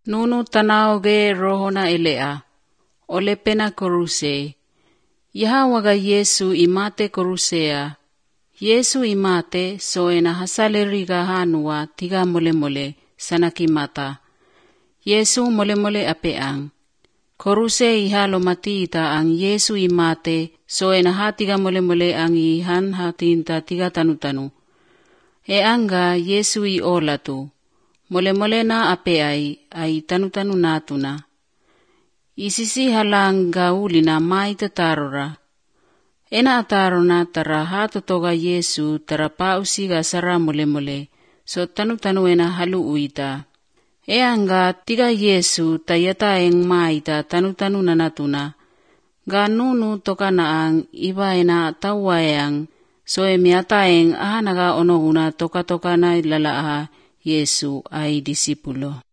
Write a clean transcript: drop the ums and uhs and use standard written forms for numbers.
Nunu tanaoge rohona elea, ole pena koruse. Yaha waga Yesu imate korusea. Yesu imate soena hasaleriga hanua tiga mole sanakimata. Yesu mole apeang. Koruse ihalo matita ang Yesu imate soena hatiga mole ang ihan hatinta tiga tanu. E anga Yesu I olatu. Mole na apeai ay tanu natuna. Isisi halang gaulina mai tatarora. Ena atarona tara hatotoga Yesu tara pausiga sara mole so tanu ena halu uita. E anga tiga Yesu tayata eng maita tanu nanatuna. Ganunu tokana ang iba ena tawayang so emiata eng ahanaga onohuna toka na ilalaaha Yesu ay disipulo.